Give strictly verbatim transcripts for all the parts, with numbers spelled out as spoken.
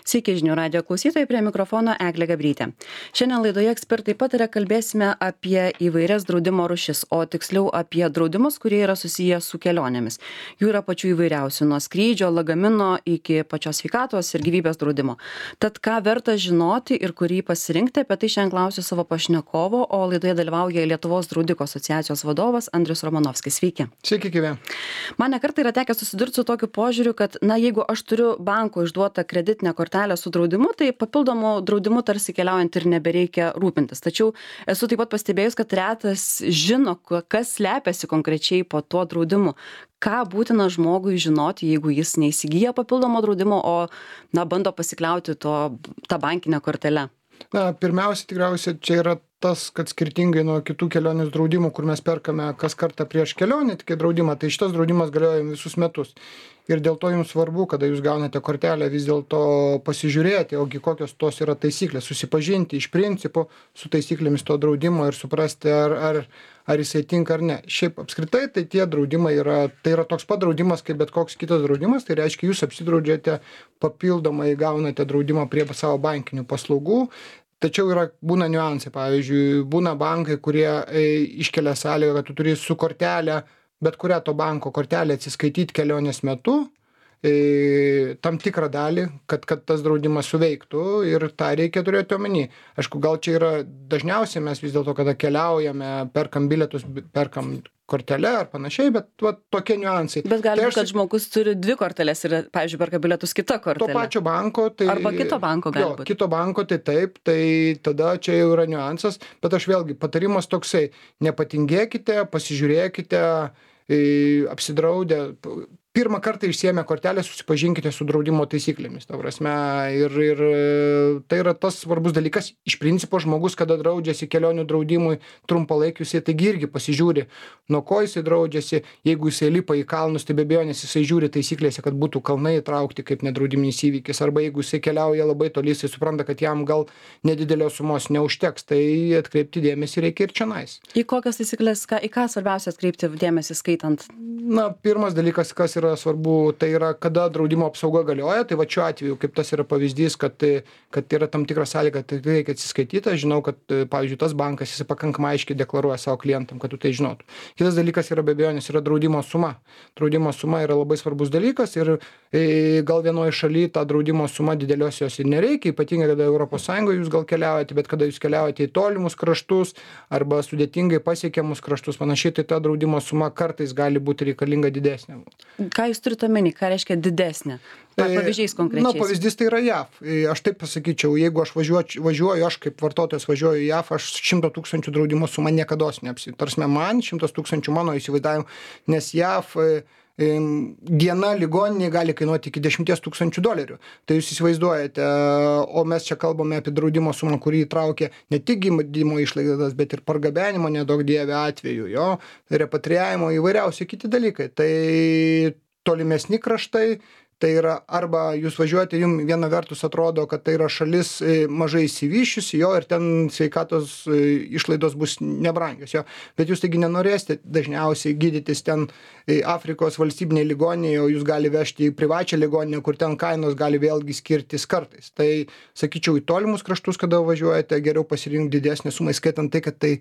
Sveiki žinių radijo klausytojai, prie mikrofono Eglė Gabrytė. Šiandien laidoje ekspertai pataria kalbėsime apie įvairias draudimo rūšis, o tiksliau apie draudimus, kurie yra susiję su kelionėmis. Jų yra pačių įvairiausių, nuo skrydžio, lagamino iki pačios sveikatos ir gyvybės draudimo. Tad ką verta žinoti ir kurį pasirinkti, apie tai šiandien klausiu savo pašnekovo, o laidoje dalyvauja Lietuvos draudiko asociacijos vadovas Andrius Romanovskis. Sveiki. Sveiki, gyvi. Man ne kartą yra tekę susidurti su tokiu požiūriu, kad, na, jeigu aš turiu banko išduotą kreditinę kortelę su draudimu, tai papildomų draudimų tarsi keliaujant ir nebereikia rūpintis. Tačiau esu taip pat pastebėjus, kad retas žino, kas slepiasi konkrečiai po tuo draudimu. Ką būtina žmogui žinoti, jeigu jis neįsigyja papildomo draudimo, o, na, bando pasikliauti to, tą bankinę kortelę? Na, pirmiausia, tikriausiai čia yra tas, kad skirtingai nuo kitų kelionės draudimų, kur mes perkame kas kartą prieš kelionę, tik draudimą, tai šitas draudimas galioja visus metus. Ir dėl to jums svarbu, kada jūs gaunate kortelę, vis dėlto pasižiūrėti, ogi kokios tos yra taisyklės, susipažinti iš principo su taisyklėmis to draudimo ir suprasti, ar, ar, ar jisai tinka ar ne. Šiaip apskritai, tai tie draudimai yra, tai yra toks pat draudimas, kaip bet koks kitas draudimas, tai reiškia, jūs apsidraudžiate papildomai, gaunate draudimą prie savo bankinių paslaugų. Tačiau yra, būna niuansai, pavyzdžiui, būna bankai, kurie e, iškelia sąlygą, kad tu turi su kortelę, bet kurią to banko kortelę atsiskaityti kelionės metu, e, tam tikrą dalį, kad, kad tas draudimas suveiktų ir tą reikia turėti omeny. Aišku, gal čia yra dažniausiai mes vis dėlto, kada keliaujame, perkam bilietus, perkam kortelę ar panašiai, bet va, tokie niuansai. Bet gali tai būti, kad žmogus turi dvi korteles ir, pavyzdžiui, perka bilietus kita kortelė. To pačio banko. Tai, arba kito banko gali jo, būti. Kito banko, tai taip, tai tada čia jau yra niuansas, bet aš vėlgi, patarimas toksai, nepatingėkite, pasižiūrėkite, apsidraudę, pirmą kartą išsiėmę kortelę, susipažinkite su draudimo taisyklėmis, ta prasme, ir, ir tai yra tas svarbus dalykas. Iš principo žmogus, kada draudžiasi kelionių draudimui trumpalaikiu, jisai taigi irgi pasižiūri, nuo ko jisai draudžiasi, jeigu jisai lipa į kalnus, tai be abejonės jisai žiūri taisyklėse, kad būtų kalnai įtraukti kaip nedraudiminis įvykis, arba jeigu jisai keliauja labai toli, jisai supranta, kad jam gal nedidelės sumos neužteks, tai atkreipti dėmesį reikia ir čionais. Į kokias taisyklės, ką, į ką svarbiausia atkreipti dėmesį skaitant? Na, pirmas dalykas, kas yra svarbu, tai yra, kada draudimo apsauga galioja, tai va šiuo atveju, kaip tas yra pavyzdys, kad, kad yra tam tikra sąlyga, tai reikia atsiskaityti. Aš žinau, kad, pavyzdžiui, tas bankas, jis pakankamai aiškiai deklaruoja savo klientam, kad tu tai žinotum. Kitas dalykas yra be abejonės, yra draudimo suma. Draudimo suma yra labai svarbus dalykas ir e, gal vienoje šalyje tą draudimo sumą didelios jos ir nereikia, ypatingai kada Europos Sąjungoje jūs gal keliaujate, bet kada jūs keliaujate į tolimus kraštus arba sudėtingai pasiekiamus kraštus, panašiai, tai ta draudimo suma kartais gali būti reikalinga didesnė. Ką jūs turite omeny, ką reiškia didesnė? Pavyzdžiais konkrečiais. Na, pavyzdys tai yra J A V. Aš taip pasakyčiau, jeigu aš važiuoju, važiuoju aš kaip vartotojas važiuoju į J A V, aš šimto tūkstančių draudimo sumą niekados neapsi. Tarsime, man šimtas tūkstančių mano įsivaizdavimu, nes J A V diena ligoninėje gali kainuoti iki dešimties tūkstančių dolerių. Tai jūs įsivaizduojate, o mes čia kalbame apie draudimo sumą, kurį įtraukia ne tik gydymo išlaidas, bet ir pargabenimo nedaug dievė atveju, jo, repatriavimo įvairiausi kiti dalykai. Tai tolimesni kraštai, tai yra arba jūs važiuojate, jums viena vertus atrodo, kad tai yra šalis mažai įsivyščiusi, jo, ir ten sveikatos išlaidos bus nebrangios, jo, bet jūs taigi nenorėsite dažniausiai gydytis ten Afrikos valstybinėje ligoninėje, o jūs gali vežti į privačią ligoninę, kur ten kainos gali vėlgi skirtis kartais. Tai, sakyčiau, į tolimus kraštus, kada važiuojate, geriau pasirinkti didesnį sumą, skaitant tai, kad tai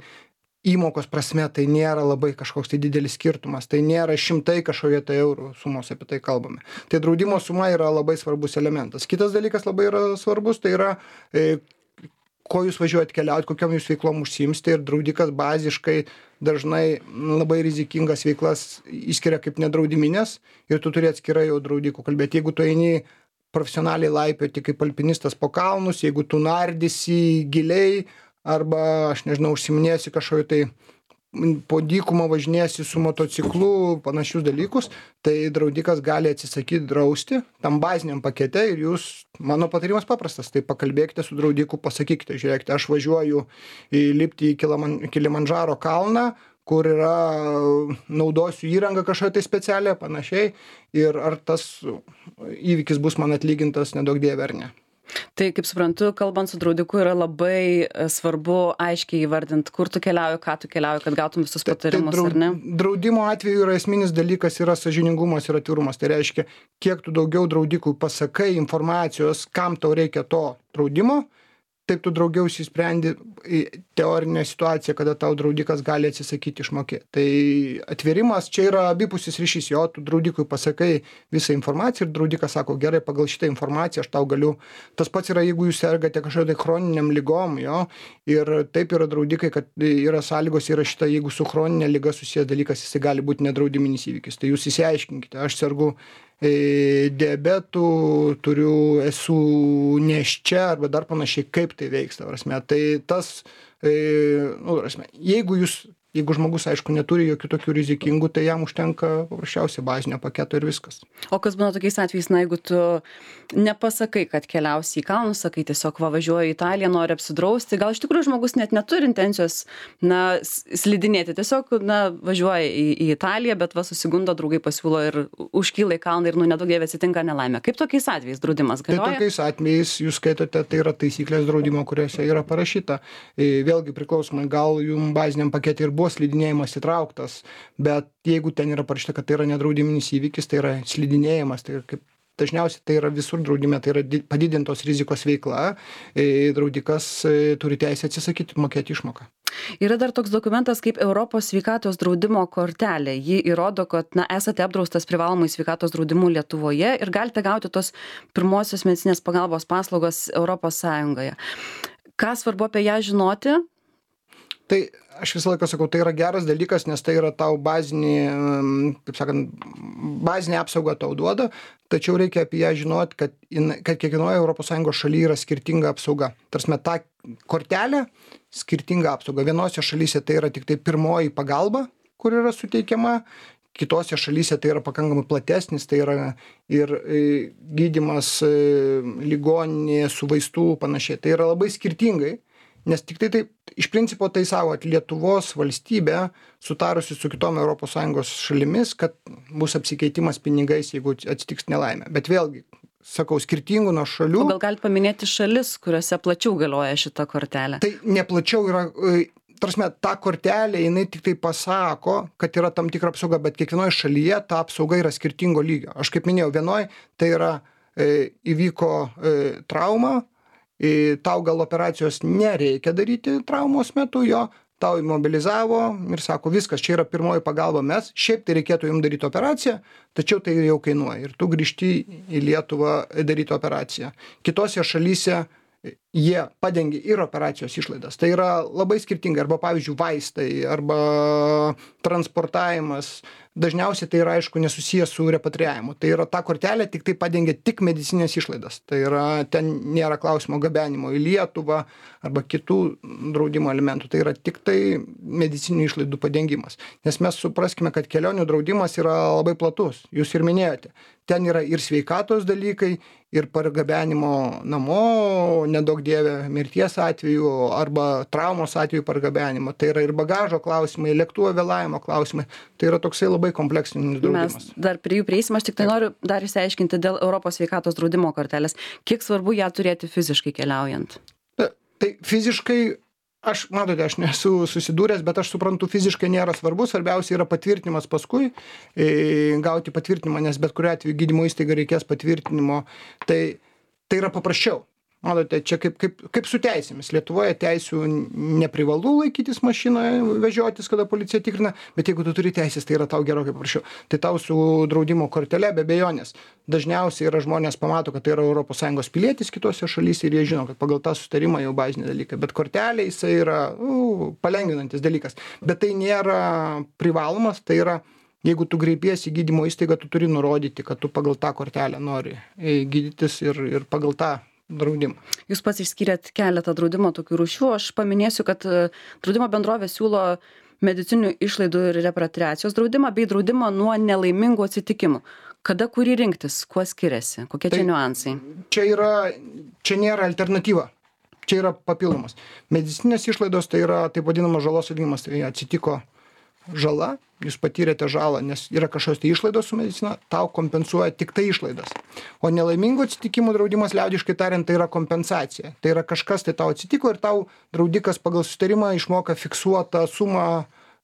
įmokos prasme tai nėra labai kažkoks tai didelis skirtumas, tai nėra šimtai kažkokie tai eurų sumos, apie tai kalbame. Tai draudimo suma yra labai svarbus elementas. Kitas dalykas labai yra svarbus, tai yra, e, ko jūs važiuojate keliauti, kokiam jūs veiklom užsiimsite, ir draudikas baziškai dažnai labai rizikingas veiklas išskiria kaip nedraudiminės ir tu turi atskirai jau draudikų kalbėti. Jeigu tu eini profesionaliai laipioti kaip alpinistas po kalnus, jeigu tu nardysi giliai, arba, aš nežinau, užsiminėsi kažkokiu tai po dykumą važinėsi su motociklu, panašius dalykus, tai draudikas gali atsisakyti drausti tam baziniam pakete ir jūs, mano patarimas paprastas, tai pakalbėkite su draudiku, pasakykite, žiūrėkite, aš važiuoju į lipti į Kilimandžaro kalną, kur yra, naudosiu įrangą kažkokią tai specialią, panašiai, ir ar tas įvykis bus man atlygintas nedaug dievė ar ne. Tai, kaip suprantu, kalbant su draudiku yra labai svarbu aiškiai įvardinti, kur tu keliauji, ką tu keliauji, kad gautum visus patarimus, tai, tai ar ne? Draudimo atveju yra esminis dalykas yra sąžiningumas ir atvirumas. Tai reiškia, kiek tu daugiau draudikui pasakai informacijos, kam tau reikia to draudimo, taip tu daugiau įsisprendi teorinę situaciją, kada tau draudikas gali atsisakyti išmokėti. Tai atvirimas čia yra abipusis ryšys, jo, tu draudikui pasakai visą informaciją ir draudikas sako, gerai, pagal šitą informaciją aš tau galiu. Tas pats yra, jeigu jūs sergate kažkokią chroniniam lygom, jo, ir taip yra draudikai, kad yra sąlygos įrašyta, jeigu su chroninė lyga susijęs dalykas, jis gali būti nedraudiminis įvykis. Tai jūs įsiaiškinkite, aš sergu diabetų, turiu, esu nėščia arba dar panašiai, kaip tai veiks, ta prasme. Tai tas, nu, prasme, jeigu jūs, jeigu žmogus, aišku, neturi jokių tokių rizikingų, tai jam užtenka paprasčiausiai bazinio paketo ir viskas. O kas būna tokiais atvejais, na, jeigu tu nepasakai, kad keliausi į kalnus, sakai tiesiog va, važiuoju į Italiją, nori apsidrausti, gal iš tikrųjų žmogus net neturi intencijos, na, slidinėti, tiesiog, na, važiuoja į, į Italiją, bet va, susigundo, draugai pasiūlo ir užkyla į kalną ir, nu, nedaug dievė atsitinka nelaimė. Kaip tokiais atvejais draudimas galioja? Tai tokiais atvejais jūs skaitote, tai yra taisyklės draudimo, kuriuose yra parašyta. Vėlgi priklausomai, gal jums baziniam pakete ir buvo slidinėjimas įtrauktas, bet jeigu ten yra parašyta, kad tai yra nedraudiminis įvykis, tai yra slidinėjimas, tai kaip dažniausiai tai yra visur draudime, tai yra padidintos rizikos veikla, draudikas turi teisę atsisakyti mokėti išmoką. Yra dar toks dokumentas kaip Europos sveikatos draudimo kortelė. Ji įrodo, kad, na, esate apdraustas privalomai sveikatos draudimu Lietuvoje ir galite gauti tos pirmosios medicinės pagalbos paslaugos Europos Sąjungoje. Ką svarbu apie ją žinoti? Tai aš visą laiką sakau, tai yra geras dalykas, nes tai yra tau bazinį, kaip sakant, bazinę apsaugą tau duoda, tačiau reikia apie ją žinoti, kad, kad kiekvienoje Europos Sąjungos šalyje yra skirtinga apsauga. Tarsi ta kortelė skirtinga apsauga. Vienose šalyse tai yra tik tai pirmoji pagalba, kur yra suteikiama, kitose šalyse tai yra pakankamai platesnis, tai yra ir gydymas ligoninėje su vaistų panašiai. Tai yra labai skirtingai. Nes tik tai taip, iš principo tai savo, at Lietuvos valstybė sutarusi su kitom Europos Sąjungos šalimis, kad bus apsikeitimas pinigais, jeigu atsitiks nelaimė. Bet vėlgi, sakau, skirtingų nuo šalių. O gal galite paminėti šalis, kuriuose plačiau galioja šita kortelė? Tai neplačiau yra, tarsi, ta kortelė, jinai tik tai pasako, kad yra tam tikra apsauga, bet kiekvienoje šalyje ta apsauga yra skirtingo lygio. Aš kaip minėjau, vienoje tai yra e, įvyko e, trauma, tau gal operacijos nereikia daryti traumos metu, jo, tau imobilizavo ir sako, viskas, čia yra pirmoji pagalba, mes, šiaip tai reikėtų jums daryti operaciją, tačiau tai jau kainuoja ir tu grįžti į Lietuvą daryti operaciją. Kitose šalyse jie padengia ir operacijos išlaidas. Tai yra labai skirtingai, arba pavyzdžiui vaistai, arba transportavimas. Dažniausiai tai yra, aišku, nesusijęs su repatriavimu. Tai yra ta kortelė tik tai padengia tik medicinės išlaidas. Tai yra, ten nėra klausimo gabenimo į Lietuvą arba kitų draudimo elementų. Tai yra tik tai medicininių išlaidų padengimas. Nes mes supraskime, kad kelionių draudimas yra labai platus. Jūs ir minėjote. Ten yra ir sveikatos dalykai, ir pargabenimo namo, nedaug dievė mirties atveju arba traumos atveju pargabenimo. Tai yra ir bagažo klausimai, lėktuvo vėlavimo klausimai. Tai yra toksai labai kompleksinis draudimas. Mes dar prie jų prieisim, aš tik tai noriu dar išsiaiškinti dėl Europos sveikatos draudimo kortelės. Kiek svarbu ją turėti fiziškai keliaujant? Ta, tai fiziškai, aš, matote, aš nesu susidūręs, bet aš suprantu, fiziškai nėra svarbu, svarbiausia yra patvirtinimas paskui, e, gauti patvirtinimą, nes bet kuriuo atveju gydymo įstaiga reikės patvirtinimo, tai, tai yra paprasčiau. Matote, čia kaip, kaip, kaip su teisėmis. Lietuvoje teisių neprivalu laikytis mašinoje, vežiotis, kada policija tikrina, bet jeigu tu turi teisės, tai yra tau gerokai paprasčiau. Tai tau su draudimo kortele be abejonės. Dažniausiai yra žmonės pamato, kad tai yra Europos Sąjungos pilietis kitose šalyse ir jie žino, kad pagal tą sutarimą jau baziniai dalykai. Bet kortelė jisai yra uh, palengvinantis dalykas. Bet tai nėra privalomas, tai yra, jeigu tu kreipiesi į gydymo įstaigą, tu turi nurodyti, kad tu pagal tą kortelę nori gydytis ir, ir pagal tą draudimą. Jūs pats išskyrėt keletą draudimo tokių rūšių. Aš paminėsiu, kad draudimo bendrovė siūlo medicininių išlaidų ir repatriacijos draudimą bei draudimą nuo nelaimingų atsitikimų. Kada kurį rinktis? Kuo skiriasi? Kokie tai čia niuansai? Čia yra, čia nėra alternatyva. Čia yra papildomas. Medicinės išlaidos tai yra taip vadinamas žalos atlyginimas. Tai atsitiko žala, jūs patyrėte žalą, nes yra kažkokios tai išlaidos su medicina, tau kompensuoja tik tai išlaidas. O nelaimingų atsitikimų draudimas, liaudiškai tariant, tai yra kompensacija. Tai yra kažkas tai tau atsitiko ir tau draudikas pagal susitarimą išmoka fiksuotą sumą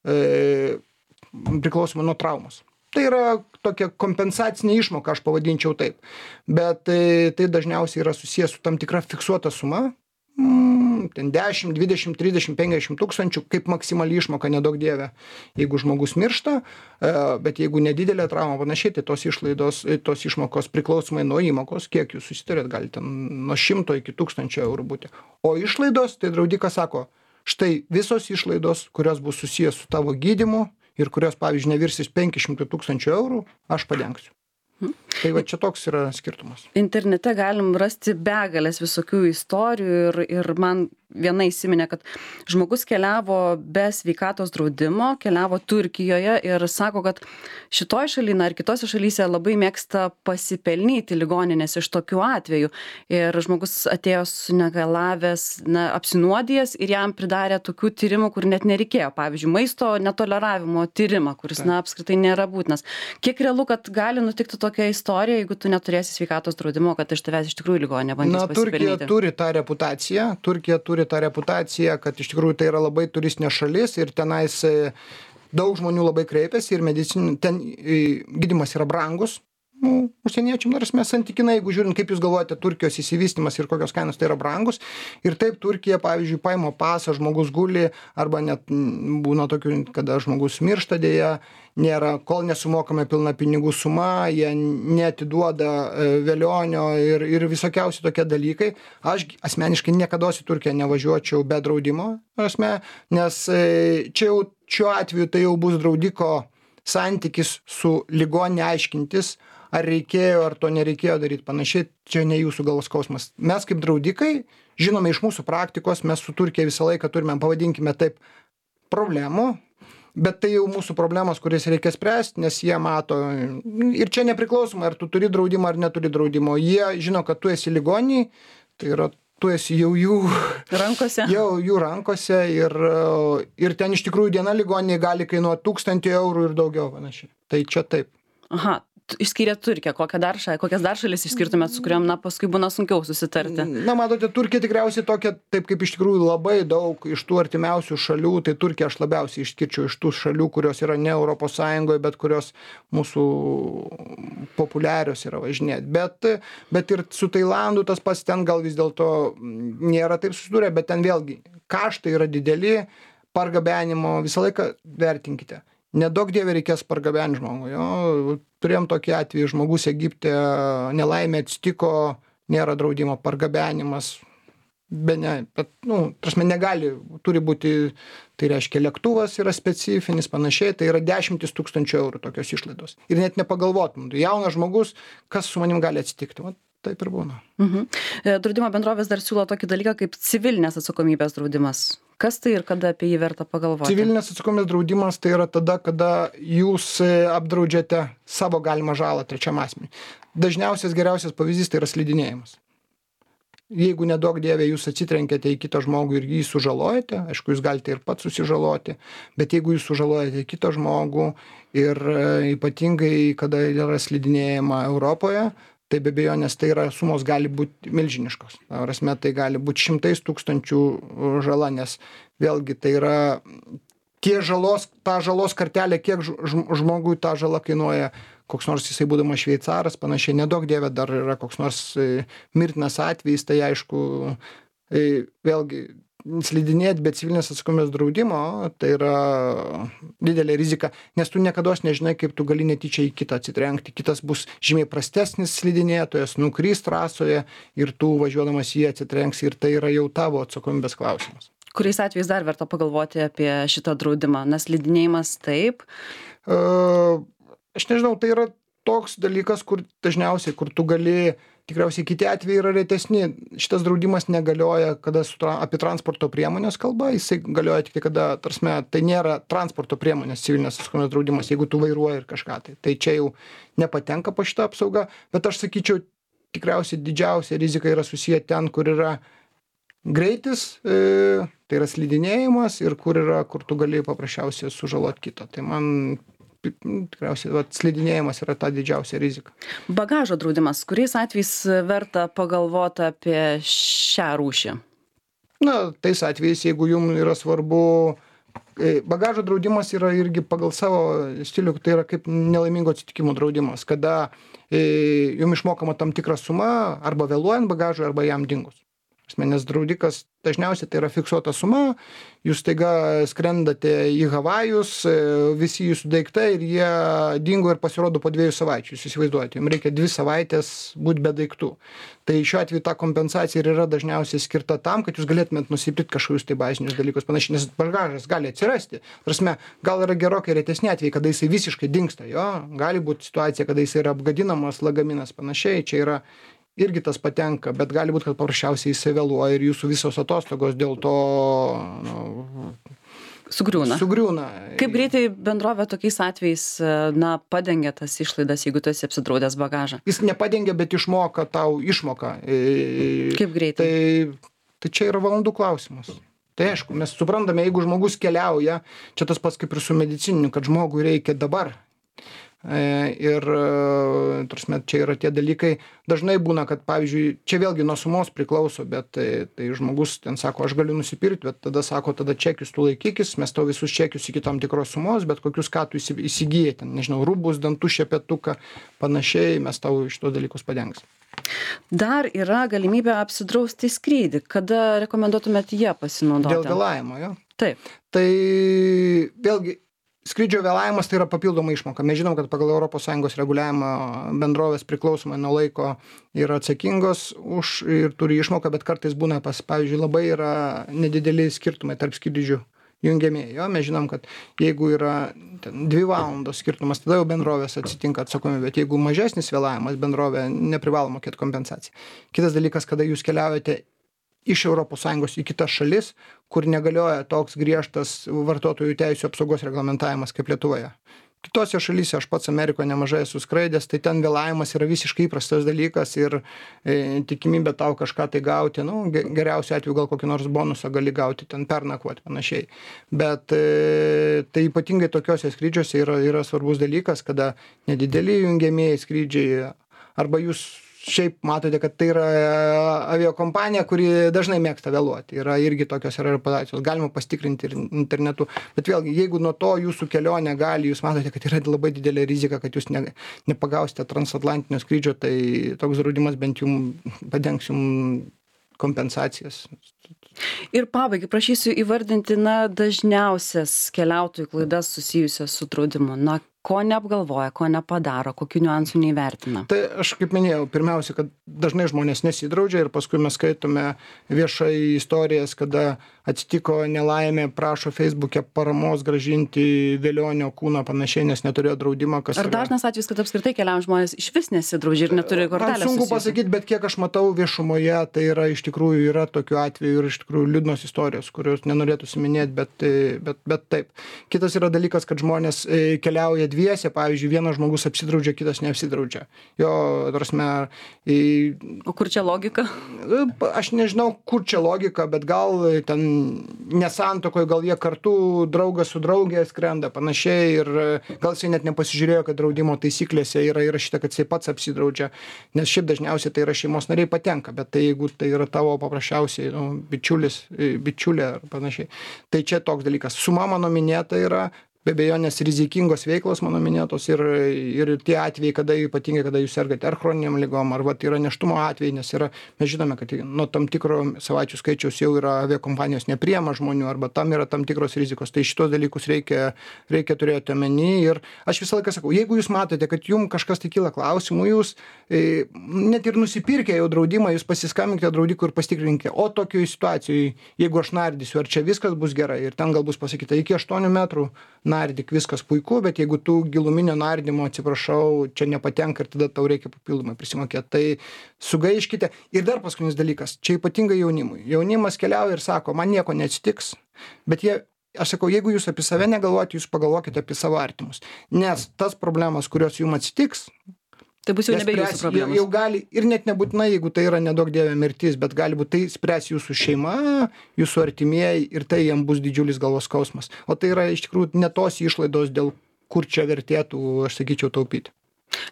e, priklausomai nuo traumos. Tai yra tokia kompensacinė išmoka, aš pavadinčiau taip. Bet tai, tai dažniausiai yra susijęs su tam tikra fiksuota suma, mm, ten dešimt, dvidešimt, trisdešimt, penkiasdešimt tūkstančių, kaip maksimali išmoka, nedaug dieve, jeigu žmogus miršta, bet jeigu nedidelė trauma panašiai, tai tos išlaidos, tos išmokos priklausomai nuo įmokos, kiek jūs susitarėt, gali ten nuo šimto iki tūkstančio eurų būti. O išlaidos, tai draudikas sako, štai visos išlaidos, kurios bus susijęs su tavo gydymu, ir kurios, pavyzdžiui, nevirsis penki šimtai tūkstančių eurų, aš padengsiu. Hmm. Tai va čia toks yra skirtumas. Internete galim rasti begalės visokių istorijų ir, ir man viena įsiminė, kad žmogus keliavo be sveikatos draudimo, keliavo Turkijoje ir sako, kad šitoj šalyje ar kitose šalyse labai mėgsta pasipelnyti ligoninės iš tokių atvejų. Ir žmogus atėjo sunegalavęs, na, apsinuodijęs ir jam pridarė tokių tyrimų, kur net nereikėjo. Pavyzdžiui, maisto netoleravimo tyrimą, kuris, na, apskritai nėra būtinas. Kiek realu, kad gali nutikti tokia istorija, jeigu tu neturėsi sveikatos draudimo, kad iš tavęs iš tikrųjų ligoninė bandys pasipelnyti? Na, Turkija turi tą reputaciją. Turkija turi tą reputaciją, kad iš tikrųjų tai yra labai turistinė šalis ir tenais daug žmonių labai kreipiasi ir medicin, ten gydymas yra brangus. Nu, užsieniečiam, nors mes santykinai, jeigu žiūrint, kaip jūs galvojate, Turkijos įsivystymas ir kokios kainos, tai yra brangus. Ir taip Turkija, pavyzdžiui, paima pasą, žmogus guli, arba net būna tokių, kada žmogus miršta dėja, nėra, kol nesumokame pilna pinigų suma, jie netiduoda velionio ir, ir visokiausi tokie dalykai. Aš asmeniškai niekada į Turkiją nevažiuočiau be draudimo, asme, nes čia jau šiuo atveju tai jau bus draudiko santykis su ligoninė aiškintis, ar reikėjo, ar to nereikėjo daryti panašiai, čia ne jūsų galvos skausmas. Mes kaip draudikai, žinome iš mūsų praktikos, mes su Turkija visą laiką turime, pavadinkime taip, problemų, bet tai jau mūsų problemos, kurias reikia spręsti, nes jie mato, ir čia nepriklausomai, ar tu turi draudimą, ar neturi draudimo, jie žino, kad tu esi ligoniai, tai yra tu esi jau jų rankose, jau jų rankose ir, ir ten iš tikrųjų diena ligoninėje gali kainuoti tūkstantį eurų ir daugiau panašiai. Tai čia taip. Aha. Išskyrėt Turkiją, kokią dar šalį, kokias dar šalis išskirtumėt, su kuriuom, na, paskui būna sunkiau susitarti? Na, matote, Turkija tikriausiai tokia, taip kaip iš tikrųjų labai daug iš tų artimiausių šalių, tai Turkija aš labiausiai išskirčiau iš tų šalių, kurios yra ne Europos Sąjungoje, bet kurios mūsų populiarios yra važinėti. Bet, bet ir su Tailandu tas pats ten gal vis dėlto nėra taip susidūrę, bet ten vėlgi kaštai yra dideli, pargabenimo visą laiką vertinkite. Nedaug dievė reikės pargabenti žmogų. Jo, turėjom tokį atvejį, žmogus Egipte nelaimė atsitiko, nėra draudimo pargabenimas, be ne, bet, nu, prasme, negali, turi būti, tai reiškia, lėktuvas yra specifinis, panašiai, tai yra dešimtis tūkstančių eurų tokios išlaidos. Ir net nepagalvotum, jaunas žmogus, kas su manim gali atsitikti. Va, taip ir būna. Mhm. Draudimo bendrovės dar siūlo tokį dalyką kaip civilinės atsakomybės draudimas. Kas tai ir kada apie jį verta pagalvoti? Civilinės atsakomybės draudimas tai yra tada, kada jūs apdraudžiate savo galimą žalą trečiam asmeniui. Dažniausias geriausias pavyzdys tai yra slidinėjimas. Jeigu nedaug dievė jūs atsitrenkėte į kitą žmogų ir jį sužalojate, aišku, jūs galite ir pats susižaloti, bet jeigu jūs sužalojate kitą žmogų ir ypatingai, kada yra slidinėjama Europoje, tai be abejonės tai yra sumos gali būti milžiniškos. Prasme, tai gali būti šimtais tūkstančių žala, nes vėlgi tai yra tie žalos, ta žalos kartelė, kiek žmogui ta žala kainuoja, koks nors jisai būdamas šveicaras, panašiai, nedaug dievė dar yra koks nors mirtinas atvejis, tai aišku, vėlgi slidinėti be civilinės atsakomybės draudimo, tai yra didelė rizika, nes tu niekados nežinai, kaip tu gali netyčia į kitą atsitrenkti. Kitas bus žymiai prastesnis slidinėtojas, nukrys trasoje ir tu važiuodamas jį atsitrenksi ir tai yra jau tavo atsakomybės klausimas. Kuriais atvejais dar verta pagalvoti apie šitą draudimą? Nes slidinėjimas taip? Uh, aš nežinau, tai yra toks dalykas, kur dažniausiai, kur tu gali, tikriausiai kiti atvejai yra retesni. Šitas draudimas negalioja, kada su tra, apie transporto priemonės kalba, jisai galioja tik tai, kada, tarsme, tai nėra transporto priemonės civilinės atsakomybės draudimas, jeigu tu vairuoji ir kažką tai. Tai čia jau nepatenka po šitą apsaugą, bet aš sakyčiau, tikriausiai didžiausia rizika yra susiję ten, kur yra greitis, e, tai yra slidinėjimas ir kur yra, kur tu gali paprasčiausiai sužalot kitą. Tai man tikriausiai vat, slidinėjimas yra ta didžiausia rizika. Bagažo draudimas. Kuriais atvejais verta pagalvoti apie šią rūšį? Na, tais atvejais, jeigu jums yra svarbu, bagažo draudimas yra irgi pagal savo stilių, tai yra kaip nelaimingo atsitikimo draudimas, kada jums išmokama tam tikra suma arba vėluojant bagažui, arba jam dingus. Asmenės draudikas dažniausiai tai yra fiksuota suma, jūs taiga skrendate į Havajus, visi jūsų daiktai ir jie dingo ir pasirodo po dviejų savaičių, jūs įsivaizduojate, jums reikia dvi savaitės būti be daiktų. Tai šiuo atveju ta kompensacija ir yra dažniausiai skirta tam, kad jūs galėtumėt nusipirkti kažkokius tai bazinius dalykus panašiai, nes bagažas gali atsirasti. Prasme, gal yra gerokai retesni atvejai, kada jisai visiškai dingsta, jo, gali būti situacija, kada jisai yra apgadinamas, lagaminas panašiai, čia yra irgi tas patenka, bet gali būti, kad paprasčiausiai jisai vėluoja ir jūsų visos atostogos dėl to nu, sugriūna. sugriūna. Kaip greitai bendrovė tokiais atvejais na, padengia tas išlaidas, jeigu tu esi apsidraudęs bagažą? Jis nepadengia, bet išmoka tau išmoką. Kaip greitai? Tai, tai čia yra valandų klausimas. Tai aišku, mes suprantame, jeigu žmogus keliauja, čia tas pats kaip ir su medicininiu, kad žmogui reikia dabar. Ir tarsi, čia yra tie dalykai, dažnai būna, kad pavyzdžiui, čia vėlgi nuo sumos priklauso, bet tai, tai žmogus ten sako, aš galiu nusipirkti, bet tada sako, tada čekius tu laikykis, mes tau visus čekius iki tam tikros sumos, bet kokius ką tu įsigijai, ten, nežinau, rūbus, dantų, šepetuką, panašiai, mes tau šitos dalykus padengsim. Dar yra galimybė apsidrausti skrydį. Kada rekomenduotumėt ją pasinaudoti? Dėl vėlavimo, jo? Taip. Tai vėlgi, skrydžio vėlavimas tai yra papildoma išmoka. Mes žinom, kad pagal Europos Sąjungos reguliavimą bendrovės priklausomai nuo laiko yra atsakingos už ir turi išmoką, bet kartais būna, pas, pavyzdžiui, labai yra nedideli skirtumai tarp skrydžių jungiamieji. Mes žinom, kad jeigu yra ten, dvi valandos skirtumas, tada jau bendrovės atsitinka atsakomybė, bet jeigu mažesnis vėlavimas, bendrovė neprivalo mokėti kompensaciją. Kitas dalykas, kada jūs keliaujate iš Europos Sąjungos į kitas šalis, kur negalioja toks griežtas vartotojų teisių apsaugos reglamentavimas kaip Lietuvoje. Kitose šalyse, aš pats Amerikoje nemažai esu skraidęs, tai ten vėlavimas yra visiškai įprastas dalykas ir e, tikimybė tau kažką tai gauti, nu, geriausiu atveju gal kokį nors bonusą gali gauti, ten pernakvoti panašiai. Bet e, tai ypatingai tokiuose skrydžiuose yra, yra svarbus dalykas, kada nedideli jungiamieji skrydžiai arba jūs šiaip matote, kad tai yra aviakompanija, kuri dažnai mėgsta vėluoti. Yra irgi tokios yra reputacijos. Galima pasitikrinti ir internetu. Bet vėlgi, jeigu nuo to jūsų kelionė gali, jūs matote, kad yra labai didelė rizika, kad jūs ne, nepagausite transatlantinio skrydžio, tai toks draudimas bent jums padengs jums kompensacijas. Ir pabaigai prašysiu įvardinti na, dažniausias keliautojų klaidas susijusias su draudimu. Na, ko neapgalvoja, ko nepadaro, kokių niuansų neįvertina? Tai aš kaip minėjau, pirmiausia, kad dažnai žmonės nesidraudžia ir paskui mes skaitome viešai istorijas, kada atsitiko nelaimė, prašo Facebook'e paramos grąžinti velionio kūną panašiai, nes neturėjo draudimo. Kas Ar dažnas yra... atvejis, kad apskritai keliaujant žmonės iš vis nesidraudžia ir neturi kortelės? Man sunku pasakyti, bet kiek aš matau viešumoje, tai yra iš tikrųjų yra tokių atvejų ir iš tikrųjų liūdnos istorijos, kurios nenorėtų siminėti, bet, bet, bet taip. Kitas yra dalykas, kad žmonės keliauja dviese, pavyzdžiui, vienas žmogus apsidraudžia, kitas neapsidraudžia. Jo, prasme, į... O kur čia logika? Aš nežinau, kur čia logika, bet gal ten nesantuokoje, gal jie kartu draugas su draugė skrenda panašiai ir gal jisai net nepasižiūrėjo, kad draudimo taisyklėse yra įrašyta, kad jisai pats apsidraudžia, nes šiaip dažniausiai tai yra šeimos nariai patenka, bet tai jeigu tai yra tavo paprasčiausiai nu, bičiulis, bičiulė ar panašiai, tai čia toks dalykas. Suma mano minėta yra, be abejonės rizikingos veiklos mano minėtos ir, ir tie atvejai, kada ypatingai, kada jūs sergate ar chroniniam ligom, ar vat, yra neštumo atvejai, nes yra, mes žinome, kad nuo tam tikro savaičių skaičiaus jau yra aviakompanijos nepriema žmonių, arba tam yra tam tikros rizikos. Tai šitos dalykus reikia, reikia turėti omeny. Ir aš visą laiką sakau, jeigu jūs matote, kad jums kažkas tai kyla klausimų, jūs e, net ir nusipirkę jau draudimą, jūs pasiskambinkite draudikui ir pasitikrinkite, o tokioje situacijoje, jeigu aš nardysiu, ar čia viskas bus gerai, ir ten gal bus pasakyta iki aštuonių metrų nardyk, viskas puiku, bet jeigu tu giluminio nardymo, atsiprašau, čia nepatenka ir tada tau reikia papildomai prisimokėti. Tai sugaiškite. Ir dar paskutinis dalykas, čia ypatingai jaunimui. Jaunimas keliauja ir sako, man nieko neatsitiks, bet jie, aš sakau, jeigu jūs apie save negalvojate, jūs pagalvokite apie savo artimus. Nes tas problemas, kurios jums atsitiks, Tai bus jau Jie nebe jūsų spręs- problemos. Jau, jau gali, ir net nebūtinai, jeigu tai yra nedaug dievė mirtis, bet gali būti tai spręs jūsų šeima, jūsų artimieji ir tai jam bus didžiulis galvos skausmas. O tai yra iš tikrųjų ne tos išlaidos, dėl kur čia vertėtų, aš sakyčiau, taupyti.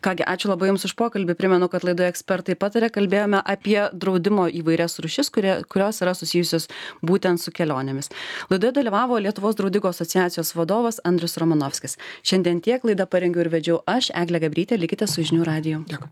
Kągi, ačiū labai Jums už pokalbį. Primenu, kad laidoje ekspertai patarė, kalbėjome apie draudimo įvairias rūšis, kurie, kurios yra susijusios būtent su kelionėmis. Laidoje dalyvavo Lietuvos draudikų asociacijos vadovas Andrius Romanovskis. Šiandien tiek laidą parengiau ir vedžiau aš, Eglė Gabrytė, likite su Žinių radiju. Dėkui.